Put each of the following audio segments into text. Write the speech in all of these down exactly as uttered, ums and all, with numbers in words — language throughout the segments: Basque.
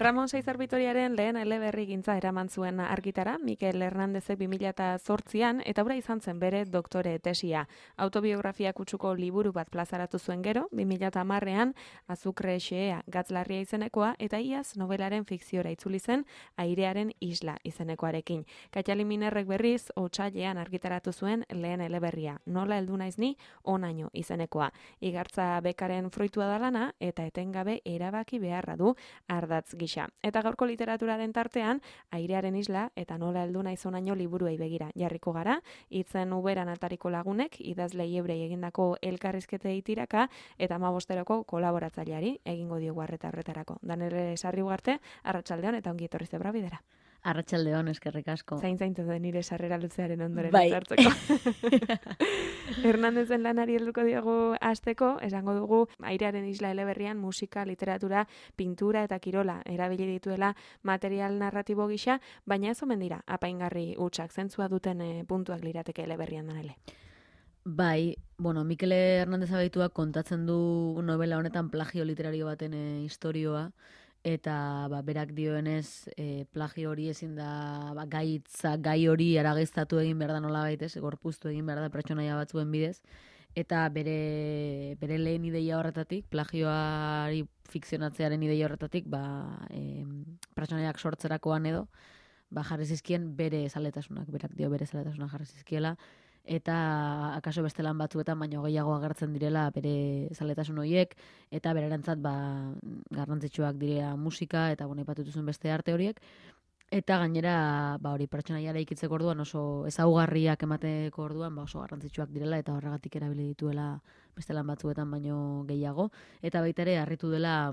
Ramon Saizar Vitoriaren lehen eleberri gintza eraman zuen argitara, Mikel Hernandezek bi mila zortzian, eta hura izan zen bere doktore tesia. Autobiografia kutsuko liburu bat plazaratu zuen gero, bi mila hamarrean, Azukre xehea gatzlarria izenekoa, eta iaz nobelaren fikziora itzuli zen, Airearen isla izenekoarekin. Katxali Minerrek berriz, otsailean argitaratu zuen lehen eleberria, Nola heldu naiz ni, onaino izenekoa. Igartza bekaren fruitua da lana, eta etengabe erabaki beharra du ardatz gisa. Eta gaurko literaturaren tartean, Airearen isla eta Nola heldu naiz onaino liburuei begira jarriko gara, hitzen uberan atariko lagunek, idazle Iebrei egindako elkarrizketei tiraka, eta hamabosteroko kolaboratzaileari egingo diogu arreta horretarako. Danele Sarri Ugarte, arratsaldeon eta ongi etorri zebra bidera. Arratsaldeon, eskerrik asko. Zain zaintu den nire sarrera luzearen ondoren Bai. hartzeko. Hernandezen lanari helduko diogu hasteko, esango dugu Airearen isla eleberrian musika, literatura, pintura eta kirola erabili dituela material narratibo gisa, baina ez omen dira apaingarri hutsak zentzua duten e, puntuak lirateke eleberrian danele. Bai, bueno, Mikel Hernandez abeituak kontatzen du novela honetan plagio literario baten e, istorioa, eta ba, berak dioenez e, plagio hori ezin da ba, gaitza, gai hori aragiztatu egin behar da nola baitez, gorpuztu egin behar da pertsonaia batzuen bidez, eta bere, bere lehen ideia horretatik, plagioari fikzionatzearen ideia horretatik, ba, e, pertsonaiak sortzerakoan edo, ba, jarri zizkien bere zaletasunak, berak dio bere zaletasunak jarri zizkiela, eta akaso beste lan batzuetan baino gehiago agertzen direla bere zaletasun horiek, eta bererentzat ba, garrantzitsuak direa musika, eta bueno, ipatu duzuen beste arte horiek, eta gainera ba, hori pertsonaiara ikitzeko orduan oso ezaugarriak emateko orduan ba, oso garrantzitsuak direla, eta horregatik erabili dituela beste lan batzuetan baino gehiago, eta baita ere harritu dela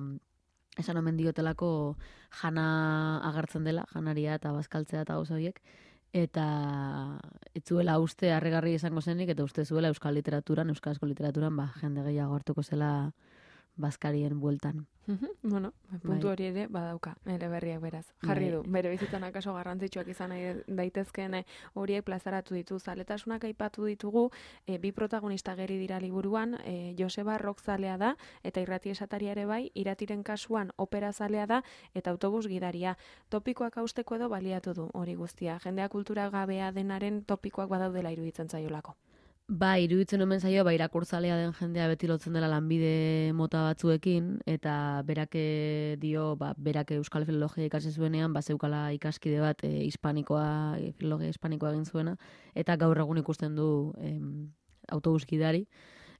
esan omen diotelako jana agertzen dela, janaria eta bazkaltzea eta gauza horiek, eta etzuela uste harrigarri izango zenik, eta uste zuela euskal literaturan, euskarazko literaturan, ba, jende gehiago hartuko zela bazkarien bueltan. Bueno, puntu hori ere badauka, eleberriak beraz. Jarri du, bere bizitzan akaso garrantzitsuak izan daitezkeen horiek plazaratu ditu. Zaletasunak aipatu ditugu, e, bi protagonista geri dira liburuan, e, Joseba rockzalea da, eta irrati esataria ere bai, iratiren kasuan operazalea da, eta autobus gidaria. Topikoak hausteko edo baliatu du hori guztia. Jendea kultura gabea denaren topikoak badaudela iruditzen zaiolako. Ba, iruditzen omen zaio, ba, irakurtzalea den jendea beti lotzen dela lanbide mota batzuekin, eta berake dio, ba, berake euskal filologia ikasi zuenean, ba, zeukala ikaskide bat e, hispanikoa, e, filologia hispanikoa egin zuena, eta gaur egun ikusten du em, autobus gidari,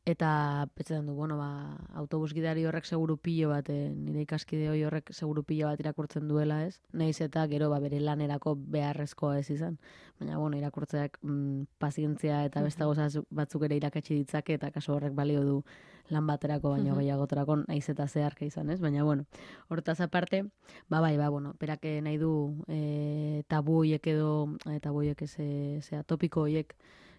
eta pentsatzen du, bueno, ba, autobus gidari horrek seguru pilo bat, e, nire ikaskide hori horrek seguru pilo bat irakurtzen duela, ez? Naiz eta gero ba, bere lanerako beharrezkoa ez izan. Baina, bueno, irakurtzeak mm, pazientzia eta beste gauza batzuk ere irakatsi ditzake, eta kaso horrek balio du lan baterako, baina uh-huh. gehiagoterako naiz eta zeharka izan, ez? Baina, bueno, hortaz aparte, ba, bai, ba, bueno, perake nahi du e, tabu hoiek edo, e, tabu hoiek ez, zea, topiko hoiek,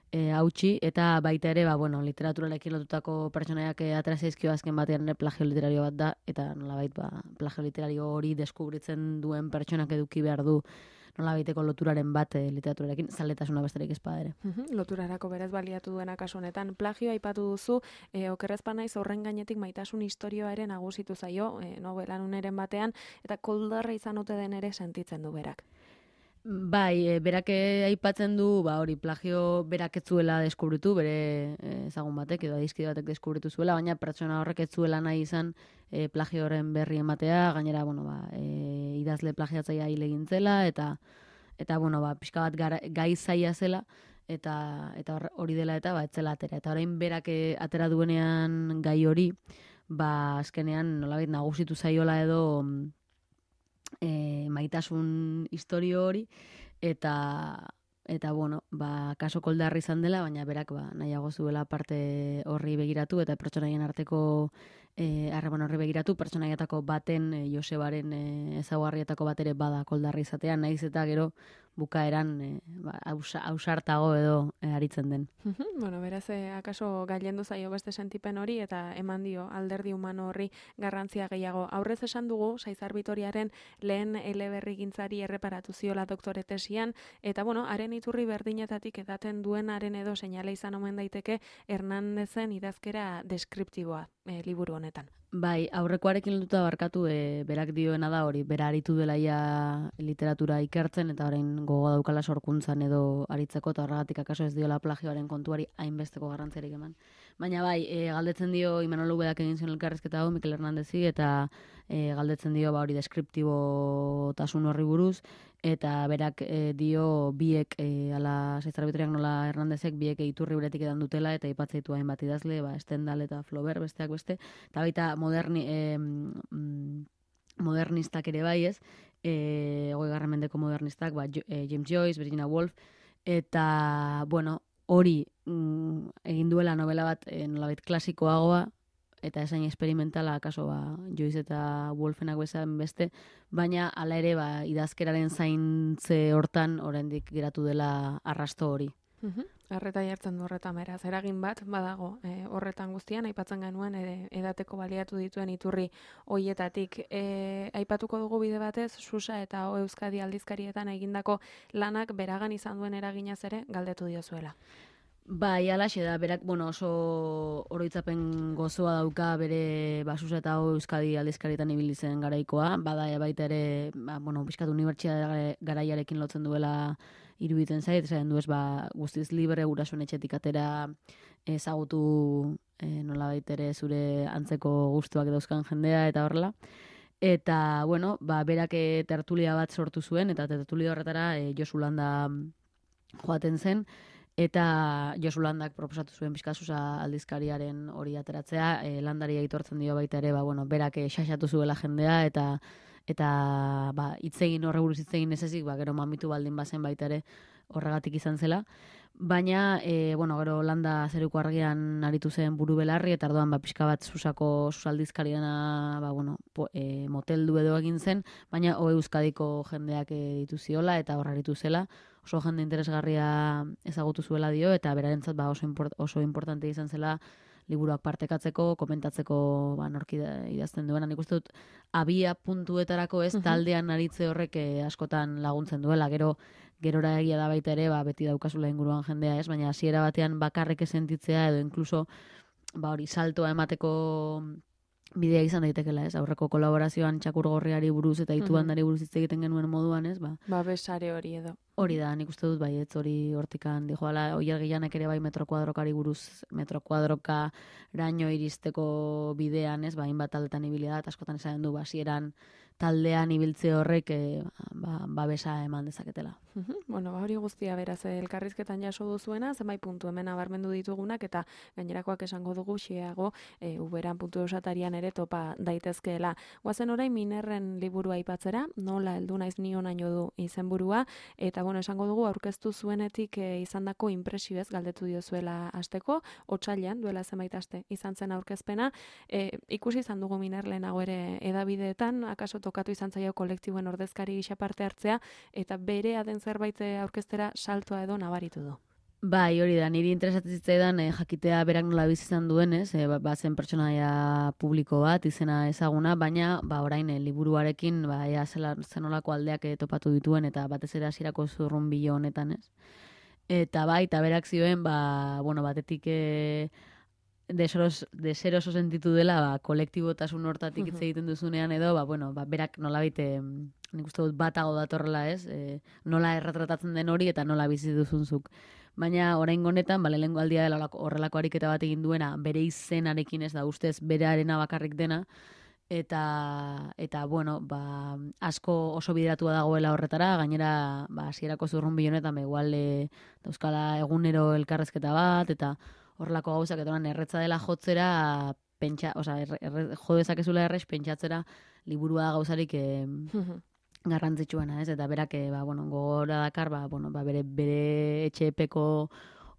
E, hautsi, eta baita ere, ba, bueno, literaturarekin lotutako pertsonaiak atera zaizkio azken batean ere plagio literario bat da, eta nolabait, ba, plagio literario hori deskubritzen duen pertsonak eduki behar du nolabaiteko loturaren bat e, literaturarekin, zaletasuna besterik ezpada ere. Uh-huh. Loturarako berez baliatu duena kasu honetan. Plagio aipatu duzu, e, okerrezpa naiz horren gainetik maitasun istorioa ere nagusitu zaio, e, novelan uneren batean, eta koldarra izan ote den ere sentitzen du berak. Bai, e, berak aipatzen du, ba hori, plagio berak ez zuela deskubritu, bere ezagun batek edo adizkide batek deskubritu zuela, baina pertsona horrek ez zuela nahi izan e, plagio horren berri ematea, gainera, bueno, ba, e, idazle plagiatzaia hil egin zela, eta, eta bueno, ba, pixka bat gara, gai zaila zela, eta eta hori dela eta ba, ez zela atera. Eta orain berak atera duenean gai hori, ba, azkenean nolabait nagusitu zaiola edo E, maitasun historio hori, eta eta bueno, ba, kaso koldarri izan dela, baina berak ba, nahiago zuela parte horri begiratu, eta pertsonaien arteko harreman e, horri begiratu, pertsonaietako baten, e, Josebaren e, ezaugarrietako bat ere bada koldarri izatea, naiz eta gero bukaeran e, ba, ausartago edo e, aritzen den. Bueno, beraz, eh, akaso gailendu zaio beste sentipen hori, eta eman dio alderdi humano horri garrantzia gehiago. Aurrez esan dugu, Saizar Vitoriaren lehen eleberri gintzari erreparatu ziola doktore tesian, eta bueno, haren iturri berdinetatik edaten duenaren edo seinale izan omen daiteke Hernandezen idazkera deskriptiboa e, liburu honetan. Bai, aurrekoarekin lotuta barkatu, e, berak dioena da hori, bera aritu dela ia literatura ikertzen, eta orain gogo daukala sorkuntzan edo aritzeko, eta horregatik akaso ez diola plagioaren kontuari hainbesteko garrantzerik eman. Baina bai, e, galdetzen dio Imanol Ubedak egin zion elkarrizketa hau, Mikel Hernandezi, eta e, galdetzen dio ba, hori deskriptibotasun horri buruz, eta berak e, dio biek, e, ala Saizarbitriak nola Hernandezek, biek iturri beretik edan dutela, eta ipatzeitu hainbat idazle, ba, Stendhal eta Flaubert besteak beste, eta baita moderni, eh, modernistak ere bai ez, eh, hogei garren mendeko modernistak, ba, eh, James Joyce, Virginia Woolf, eta, bueno, hori mm, egin duela novela bat eh, nolabait klasikoagoa, eta esain experimentala, akaso ba, Joyce eta Woolfenak bezan beste, baina hala ere ba, idazkeraren zaintze hortan oraindik geratu dela arrasto hori. Uhum. Arreta jartzen du horretan beraz, eragin bat badago e, horretan guztian, aipatzen genuen ere, edateko baliatu dituen iturri hoietatik. E, aipatuko dugu bide batez, Susa eta O Euskadi aldizkarietan egindako lanak beragan izan duen eraginaz ere galdetu diozuela. Bai, alaxe da, berak, bueno, oso oroitzapen gozoa dauka bere Basusa eta O Euskadi aldizkarietan ibili zen garaikoa, bada baita ere, ba, bueno, pixkat unibertsitate garaiarekin lotzen duela iruditzen zait, esaten du ez, ba, guztiz libre gurasoen etxetik atera ezagutu e, nolabait ere zure antzeko gustuak dauzkan jendea eta horrela. Eta, bueno, ba, berak e, tertulia bat sortu zuen, eta tertulia horretara e, Josu Landa joaten zen, eta Josu Landak proposatu zuen Bizkasusa aldizkariaren hori ateratzea, e, Landari aitortzen dio baita ere, ba, bueno, berak e, xaxatu zuela jendea, eta eta ba, itzegin horre buruz itzegin ez ezik, ba, gero mamitu baldin bazen baita ere horregatik izan zela. Baina, e, bueno, gero Landa zeruko argian aritu zen buru belarri, eta ardoan ba, pixka bat Susako Susaldizkariana ba, bueno, po, e, moteldu edo egin zen, baina O Euskadiko jendeak e, ditu ziola, eta horra aritu zela, oso jende interesgarria ezagutu zuela dio, eta berarentzat ba, oso, import, oso importante izan zela liburuak partekatzeko, komentatzeko ba, norki idazten duena. Nik uste dut, abia puntuetarako ez, taldean aritze horrek eh, askotan laguntzen duela. Gero, gerora egia da baita ere, ba, beti daukazula inguruan jendea ez, baina hasiera batean bakarrik sentitzea edo inkluso ba, hori saltoa emateko bidea izan daitekela, ez? Aurreko kolaborazioan Txakurgorriari buruz eta Itubandari buruz hitz egiten genuen moduan, ez? Ba, ba besare hori edo. Hori da, nik uste dut, bai, ez hori hortikan dijoala, Oier Gillanek ere bai metrokuadrokari buruz, metrokuadroka raino iristeko bidean, ez? Ba, hainbat taldetan ibili da, askotan esaten du, basieran taldean ibiltze horrek e, ba, babesa eman dezaketela. Uhum. Bueno, ba hori guztia beraz elkarrizketan jaso duzuena, zenbait puntu hemen abarmendu ditugunak, eta gainerakoak esango dugu xeago e, uberan puntu osatarian ere topa daitezkeela. Guazen orain Minerren liburua aipatzera, nola heldu naiz ni honaino du izenburua, eta bueno, esango dugu aurkeztu zuenetik e, izandako inpresioez galdetu diozuela asteko, otsailean duela zenbait aste izan zen aurkezpena, e, ikusi izan dugu Miner lehenago ere edabideetan, akaso tokatu izan zaio kolektiboen ordezkari gisa parte hartzea, eta bere aden zerbait aurkeztera saltoa edo nabaritu du. Bai, hori da, niri interesatzen zitzaidan eh, jakitea berak nola bizi izan duenez, eh, ba, zen pertsonaia publiko bat, izena ezaguna, baina ba, orain eh, liburuarekin ba, ea zela, zenolako aldeak eh, topatu dituen, eta batez ere hasierako zurrunbilo honetan, ez? Eta bai, eta berak zioen, ba, bueno, batetik eh, deseros, deseroso sentitu dela, ba, kolektibotasun hortatik hitz egiten duzunean edo, ba, bueno, ba, berak nolabait eh, nik uste dut batago datorrela, ez? E, nola erretratatzen den hori eta nola bizi duzunzuk. Baina oraingo honetan, ba, lehengo aldia dela horrelako ariketa bat egin duena, bere izenarekin ez da, ustez berearena bakarrik dena, eta, eta bueno, ba, asko oso bideratua dagoela horretara, gainera, ba, hasierako zurrunbilo honetan, ba, igual, e, dauzkala egunero elkarrezketa bat, eta horrelako gauzak, eta erretza dela jotzera, pentsa, oza, erre, erre, jo dezakezula errez, pentsatzera, liburua da gauzarik e, garrantzitsuena, ez? Eta berak, ba, bueno, gogora dakar, ba, bueno, ba, bere, bere etxepeko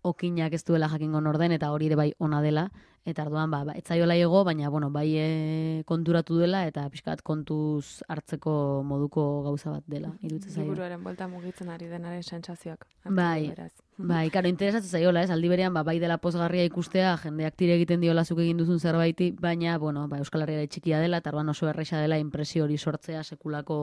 okinak ez duela jakingo norden, eta hori ere bai ona dela, eta arduan, ba, ba etzaiola ego, baina, bueno, bai e, konturatu dela, eta pixkat kontuz hartzeko moduko gauza bat dela, iruditzen zaio. Liburuaren buelta mugitzen ari denaren sentsazioak. Bai, bai, karo, interesatzen zaiola, ez? Aldi berean, ba, bai dela pozgarria ikustea, jendeak tire egiten diola zuk egin duzun zerbaiti, baina, bueno, ba, Euskal Herria txikia dela, eta arduan oso erresa dela inpresio hori sortzea sekulako,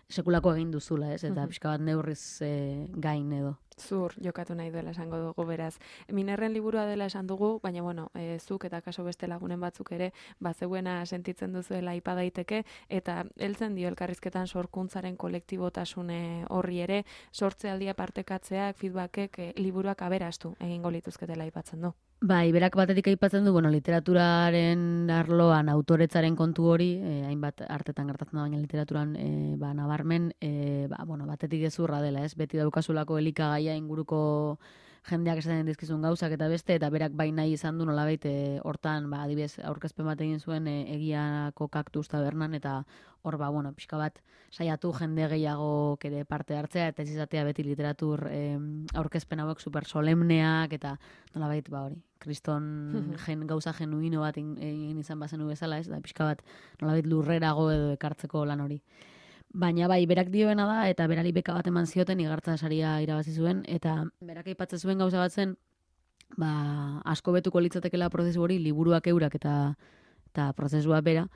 sekulako egin duzula, ez? Eta pixka bat neurriz e, gain edo. Zur jokatu nahi duela esango dugu beraz. Minerren liburua dela esan dugu, baina bueno, e, zuk eta kaso beste lagunen batzuk ere bazeuena sentitzen duzuela aipa daiteke eta heltzen dio elkarrizketan sorkuntzaren kolektibotasune horri ere sortzealdia partekatzeak, feedbackek e, liburuak aberastu egingo lituzketela aipatzen du. Bai, berak batetik aipatzen du, bueno, literaturaren arloan autoretzaren kontu hori, eh, hainbat artetan gertatzen da, baina literaturan eh, ba, nabarmen, eh, ba, bueno, batetik gezurra dela, ez? Beti daukazulako elikagaia inguruko jendeak esaten dizkizun gauzak eta beste, eta berak bai nahi izan du nolabait eh, hortan, ba, adibidez, aurkezpen bat egin zuen eh, egiako kaktus tabernan, eta hor, ba, bueno, pixka bat saiatu jende gehiago ere parte hartzea, eta ez izatea beti literatur eh, aurkezpen hauek super solemneak, eta nolabait, ba, hori, kriston gen, gauza genuino bat egin izan bazenu bezala, ez, da pixka bat nolabait lurrerago edo ekartzeko lan hori. Baina bai, berak dioena da, eta berari beka bat eman zioten, igartza saria irabazi zuen, eta berak aipatzen zuen gauza bat zen, ba, asko betuko litzatekela prozesu hori, liburuak eurak eta, eta prozesua bera,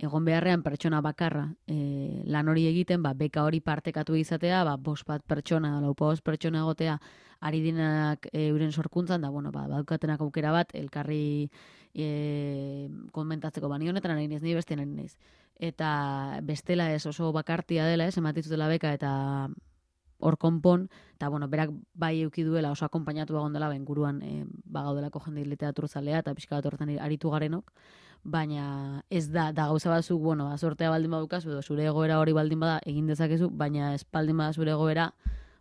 egon beharrean pertsona bakarra e, lan hori egiten, ba, beka hori partekatu izatea, ba, bost bat pertsona, laupa bost pertsona egotea, ari dinak e, euren sorkuntzan, da, bueno, ba, badaukatenak aukera bat, elkarri e, komentatzeko, ba, ni honetan ari naiz, ni beste ari naiz. Eta bestela ez oso bakartia dela, ez, ematitzutela beka, eta hor konpon, eta, bueno, berak bai euki duela oso akonpainatu egon dela, ben guruan e, bagaudelako jende literaturzalea, eta pixka bat horretan aritu garenok, baina ez da, da gauza batzuk, bueno, sortea baldin badukazu, edo zure egoera hori baldin bada egin dezakezu, baina ez baldin bada zure egoera,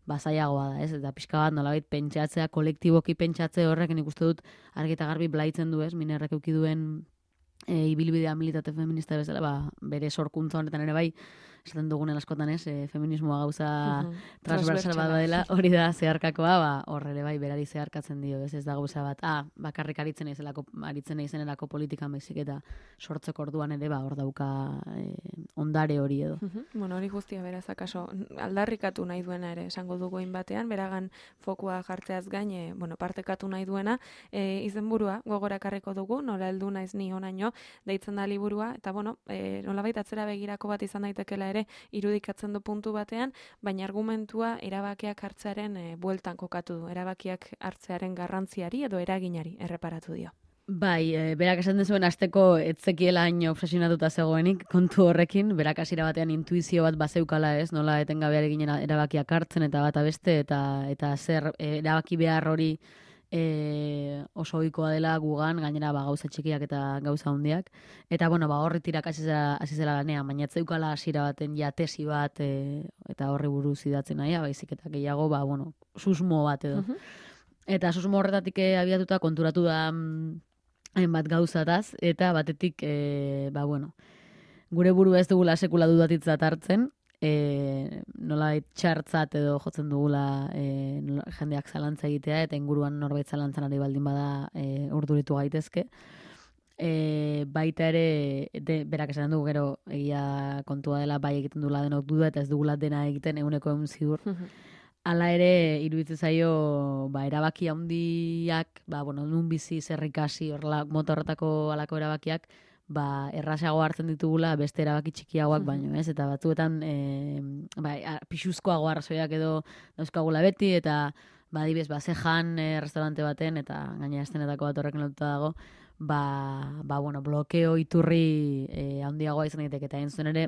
bazaiagoa da, ez? Eta pixka bat nolabait pentsatzea, kolektiboki pentsatze horrek, nik uste dut argi eta garbi blaitzen du, ez? Minerrek euki duen e, ibilbidea militate feminista bezala, ba, bere sorkuntza honetan ere bai, esaten dugunen askotan ez, e, feminismoa gauza uh-huh. transversal bat dela, hori da zeharkakoa, ba, horre ere bai berari zeharkatzen dio, ez, ez da gauza bat, ah, bakarrik aritzen naizelako, aritzen naizenerako politikan baizik eta sortzeko orduan ere, ba, hor dauka e, ondare hori edo. Uh-huh. Bueno, hori guztia beraz, akaso, aldarrikatu nahi duena ere, esango dugu batean, beragan fokua jartzeaz gain, e, bueno, partekatu nahi duena, e, izenburua gogora karriko dugu, nola heldu naiz ni honaino, deitzen da liburua, eta bueno, e, nolabait atzera begirako bat izan daitekela ere irudikatzen du puntu batean, baina argumentua erabakiak hartzearen e, bueltan kokatu du, erabakiak hartzearen garrantziari edo eraginari erreparatu dio. Bai, e, berak esan dezuen asteko etzekiela hain obsesionatuta zegoenik kontu horrekin, berak hasiera batean intuizio bat bazeukala, ez, nola etengabeare ginen erabakiak hartzen eta bata beste, eta eta zer e, erabaki behar hori E, oso ohikoa dela gugan, gainera ba, gauza txikiak eta gauza handiak. Eta bueno, ba, horri tirak hasi zela lanean, baina etzeukala hasiera baten ja tesi bat e, eta horri buruz idatzen nahia, baizik eta gehiago, ba, bueno, susmo bat edo. Uh-huh. Eta susmo horretatik abiatuta konturatu da hainbat gauzataz, eta batetik, e, ba, bueno, gure burua ez dugula sekula dudatitzat hartzen, E, nola txartzat edo jotzen dugula e, nola, jendeak zalantza egitea eta inguruan norbait zalantzan ari baldin bada e, urduritu gaitezke. E, baita ere, de, berak esan dugu gero egia kontua dela bai egiten dugula denok duda eta ez dugula dena egiten eguneko egun ziur. Hala ere, iruditzen zaio ba, erabaki handiak, ba, bueno, nun bizi zerrikasi horrela motorretako alako erabakiak, ba, errasago hartzen ditugula beste erabaki txikiagoak baino, ez? Eta batzuetan e, ba, pixuzkoago arrazoiak edo dauzkagula beti, eta ba, adibidez, ba, zejan e, restaurante baten, eta gaina estenetako bat horrekin lotuta dago, ba, ba, bueno, blokeo iturri e, handiagoa izan daiteke, eta egin zuen ere,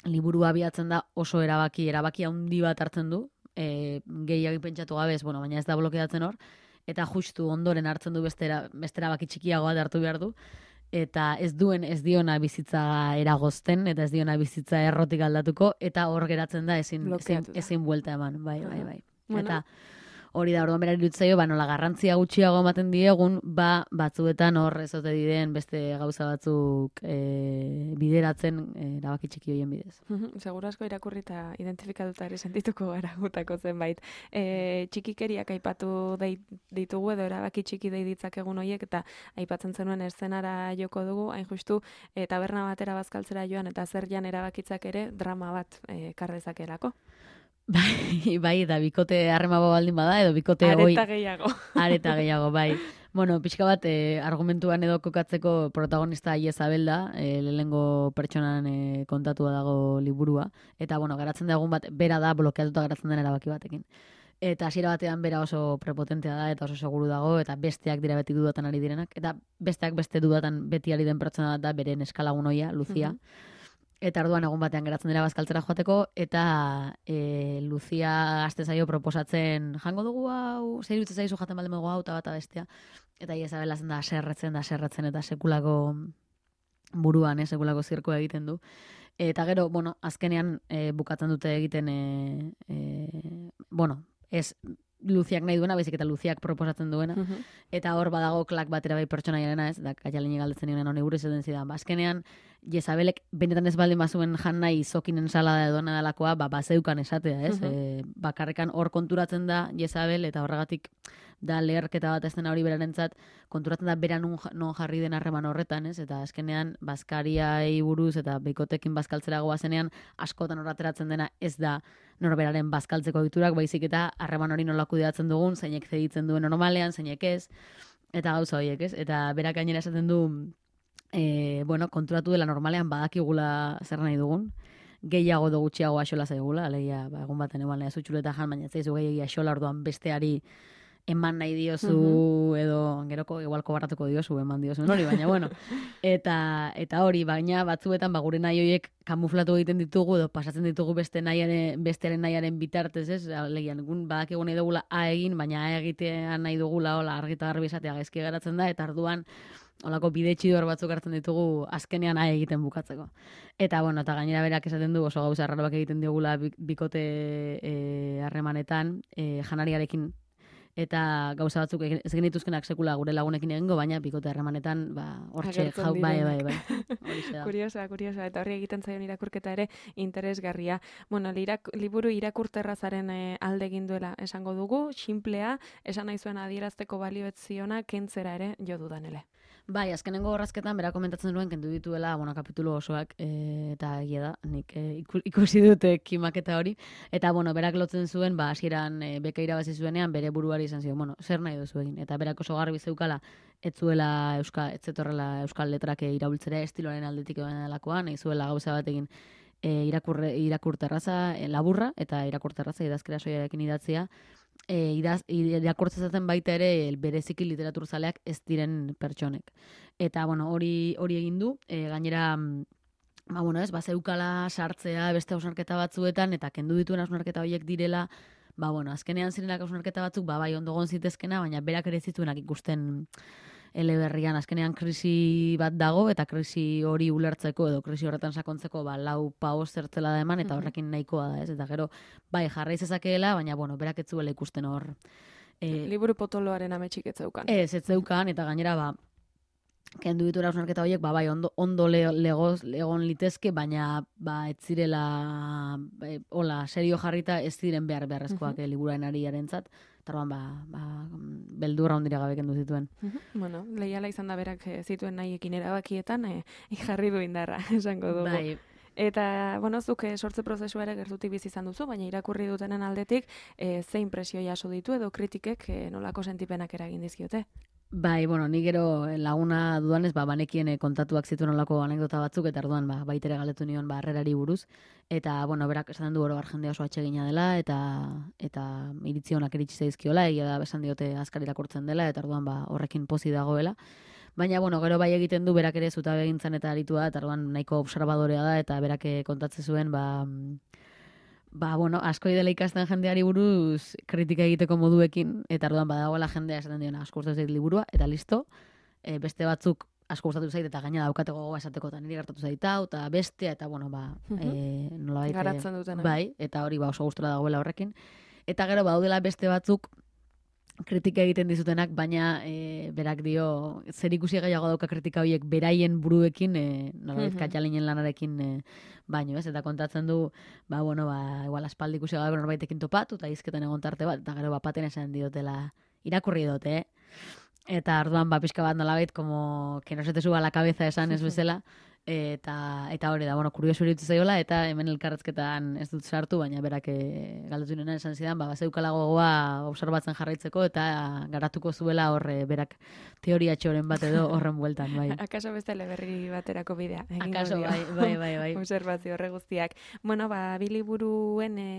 liburua abiatzen da oso erabaki, erabaki handi bat hartzen du, e, gehiagin pentsatu gabez, bueno, baina ez da blokeatzen hor, eta justu ondoren hartzen du beste, era, beste erabaki txikiagoa hartu behar du, eta ez duen ez diona bizitza eragozten, eta ez diona bizitza errotik aldatuko, eta hor geratzen da ezin, ezin, ezin buelta eman, bai, bai, bai. Bueno. Eta hori da, orduan berari dutzaio, ba, nola garrantzia gutxiago ematen diegun, ba, batzuetan hor ezote diren beste gauza batzuk e, bideratzen e, erabaki txiki horien bidez. Seguro asko irakurri eta identifikatuta ere sentituko gara gutako zenbait. E, txikikeriak aipatu ditugu edo erabaki txiki dei ditzakegun horiek, eta aipatzen zenuen eszenara joko dugu, hain justu, e, taberna batera bazkaltzera joan, eta zer jan erabakitzak ere drama bat e, kardezakelako. Bai, bai, eta bikote harremabo baldin bada, edo bikote hoi... Areta gehiago. Areta gehiago, bai. Bueno, pixka bat, eh, argumentuan edo kokatzeko protagonista Iezabel da, eh, lehengo pertsonan eh, kontatua dago liburua, eta, bueno, garatzen da egun bat, bera da blokeatuta garatzen den erabaki batekin. Eta hasiera batean bera oso prepotentea da eta oso seguru dago, eta besteak dira beti dudatan ari direnak. Eta besteak beste dudatan beti ari den pertsona da beren eskalagun oia, Lucia. Mm-hmm. Eta orduan egun batean geratzen dira bazkaltzera joateko, eta e, Lucia aste zaio proposatzen, jango dugu hau, zer iruditzen zaizu jaten baldin dugu hau, eta bata bestea. Eta Isabela zen da aserretzen, da aserretzen, eta sekulako buruan, eh, sekulako zirkoa egiten du. Eta gero, bueno, azkenean e, bukatzen dute egiten, e, e, bueno, ez Luziak nahi duena, baizik eta Luziak proposatzen duena. Uh-huh. Eta hor badago klak batera bai pertsonaiarena, ez, da Kaialini galdetzen nioen honi buruz edo zidan. Ba, azkenean, Jezabelek benetan ez baldin bazuen jan nahi izokinen salada edo nadalakoa, ba, bazeukan esatea, ez? Uh-huh. E, bakarrekan hor konturatzen da Jezabel, eta horregatik da leherketa bat ez dena hori berarentzat, konturatzen da bera non, non jarri den harreman horretan, ez? Eta azkenean, bazkariai buruz eta beikotekin bazkaltzera goazenean, askotan horrateratzen dena ez da norberaren bazkaltzeko egiturak, baizik eta harreman hori nola kudeatzen dugun, zeinek zeditzen duen normalean, zeinek ez, eta gauza horiek, ez? Eta berak gainera esaten du, e, bueno, konturatu dela normalean badakigula zer nahi dugun, gehiago edo gutxiago axola zaigula, alegia, ba, egun baten eguan nahi zutxuleta jan, baina ez zaizu gehiago axola orduan besteari eman nahi diozu, uh-huh. edo geroko igualko barratuko diozu, eman diozu hori, baina bueno. Eta, eta hori, baina batzuetan ba, gure nahi horiek kamuflatu egiten ditugu, edo pasatzen ditugu beste nahiaren, bestearen nahiaren bitartez, ez? Legian, gun badakigu nahi dugula A egin, baina A egitean nahi dugula, hola, argita garbi esatea gaizki geratzen da, eta arduan, holako bide txidor batzuk hartzen ditugu azkenean A egiten bukatzeko. Eta, bueno, eta gainera berak esaten du, oso gauza arraroak egiten diogula bikote harremanetan, e, e, janariarekin, eta gauza batzuk ez genituzkenak sekula gure lagunekin egingo, baina bikote harremanetan, ba, hortxe, jau, bai, bai, bai. Kuriosa, kuriosa, eta horri egiten zaion irakurketa ere interesgarria. Bueno, lirak, liburu irakurterrazaren e, alde egin duela esango dugu, xinplea, esan nahi zuen adierazteko balioetziona, kentzera ere jo dudanele. Bai, azkenengo horrazketan, bera komentatzen duen, kendu dituela, bueno, kapitulu osoak, e, eta egia da, nik e, ikusi dute kimaketa hori, eta, bueno, berak lotzen zuen, ba, hasieran e, beka irabazi zuenean, bere buruari izan zion, bueno, zer nahi duzu egin, eta berak oso garbi zeukala, ez zuela euskal, ez zetorrela euskal letrak irabiltzera estiloaren aldetik egon delakoan, nahi zuela gauza bat egin e, irakurre, irakurterraza e, laburra, eta irakurterraza idazkera soiarekin idatzia, E, idaz, irakurtzezaten baita ere bereziki literaturzaleak ez diren pertsonek. Eta, bueno, hori hori egin du, e, gainera, ba, bueno, ez, ba, zeukala sartzea beste hausnarketa batzuetan, eta kendu dituen hausnarketa horiek direla, ba, bueno, azkenean zirenak hausnarketa batzuk, ba, bai, ondogon zitezkena, baina berak ere zituenak ikusten eleberrian, azkenean krisi bat dago, eta krisi hori ulertzeko, edo krisi horretan sakontzeko, ba, lau paoz zertzela da eman, eta horrekin nahikoa da, ez? Eta gero, bai, jarraiz ezakeela, baina, bueno, berak ez zuela ikusten hor. E, Liburu potoloaren ametsik ez zeukan. Ez, ez zeukan, eta gainera, ba, kendu ditu erausnarketa horiek, ba, bai, ondo, ondo legoz, legon litezke, baina, ba, ez zirela, e, hola, serio jarrita, ez ziren behar beharrezkoak uh-huh. liburaren ariarentzat. Tarban, ba, ba, beldurra ondira gabe kendu zituen. Uh-huh. Bueno, leiala izan da berak zituen nahiekin erabakietan, e, jarri du indarra, esango dugu. Bai. Eta, bueno, zuk sortze prozesua ere gertutik bizi izan duzu, baina irakurri dutenen aldetik, e, ze impresio jaso ditu edo kritikek e, nolako sentipenak eragin dizkiote? Bai, bueno, ni gero laguna dudanez, ba, banekien kontatuak zituen olako anekdota batzuk, eta orduan, ba, baitere galetu nion, ba, harrerari buruz. Eta, bueno, berak esaten du oro jendea oso atsegina dela, eta eta iritzi honak iritsi zaizkiola, egia da besan diote azkar irakurtzen dela, eta orduan, ba, horrekin pozi dagoela. Baina, bueno, gero bai egiten du, berak ere zutabe egintzan eta aritua, eta orduan nahiko observadorea da, eta berak kontatze zuen, ba, ba, bueno, asko dela ikasten jendeari buruz kritika egiteko moduekin, eta orduan badagoela jendea esaten diona asko gustatu zait liburua, eta listo, e, beste batzuk asko gustatu zait, eta gaina daukate gogoa esateko, eta niri gertatu zait hau, eta bestea, eta bueno, ba, uh-huh. e, nola baite, garatzen dutena. Bai, eta hori ba, oso gustora dagoela horrekin. Eta gero, badaudela beste batzuk kritika egiten dizutenak, baina e, berak dio, zer ikusi gehiago dauka kritika horiek beraien buruekin, e, nolabait mm-hmm. Katjalinen lanarekin e, baino, ez? Eta kontatzen du, ba, bueno, ba, igual aspaldi ikusi gabe norbaitekin topatu, eta izketan egon tarte bat, eta gero bapaten esan diotela, irakurri dute, eh? Eta orduan, ba, pixka bat nolabait, como, que no se te suba la cabeza esan ez bezala, eta eta hori da, bueno, kurioso iruditu zaiola, eta hemen elkarrezketan ez dut sartu, baina berak e, galdetu nena esan zidan, ba, bazeukala gogoa observatzen jarraitzeko, eta garatuko zuela horre berak teoria txoren bat edo horren bueltan, bai. Akaso beste eleberri baterako bidea. Akaso, bai, bai, bai, bai. Observazio horre guztiak. Bueno, ba, biliburuen e,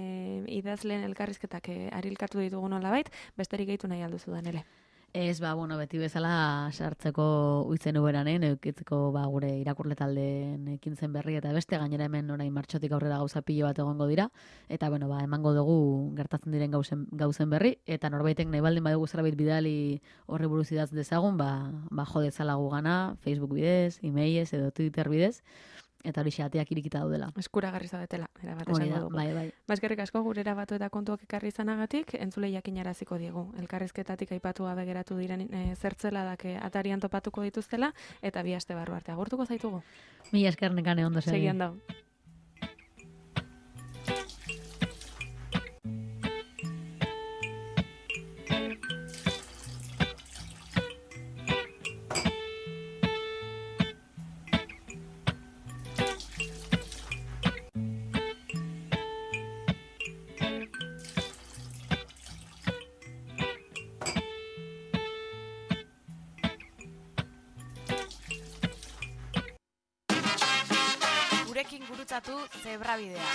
idazleen elkarrizketak e, arilkatu ditugu nolabait, besterik gehitu nahi alduzu da, nele. Ez, ba, bueno, beti bezala sartzeko uitzen uberanen, eukitzeko ba, gure irakurle taldeen ekintzen berri eta beste, gainera hemen orain martxotik aurrera gauza pilo bat egongo dira, eta bueno, ba, emango dugu gertatzen diren gauzen, gauzen berri, eta norbaitek nahi baldin badugu zerbait bidali horri buruz idaz dezagun, ba, ba jo dezala gu gana, Facebook bidez, e-mailez edo Twitter bidez, eta hori xateak irikita daudela. Eskuragarri zaudetela, erabat Hori esango da, dugu. bai, bai. Baskerrik asko gure erabatu eta kontuak ekarri izanagatik, entzule jakinaraziko diegu. Elkarrizketatik aipatu gabe geratu diren e, zertzeladak e, atarian topatuko dituztela, eta bi aste barru arte agurtuko zaitugu. Mila esker nekane ondo segi. Segi ondo. Gurekin gurutzatu zebrabidea.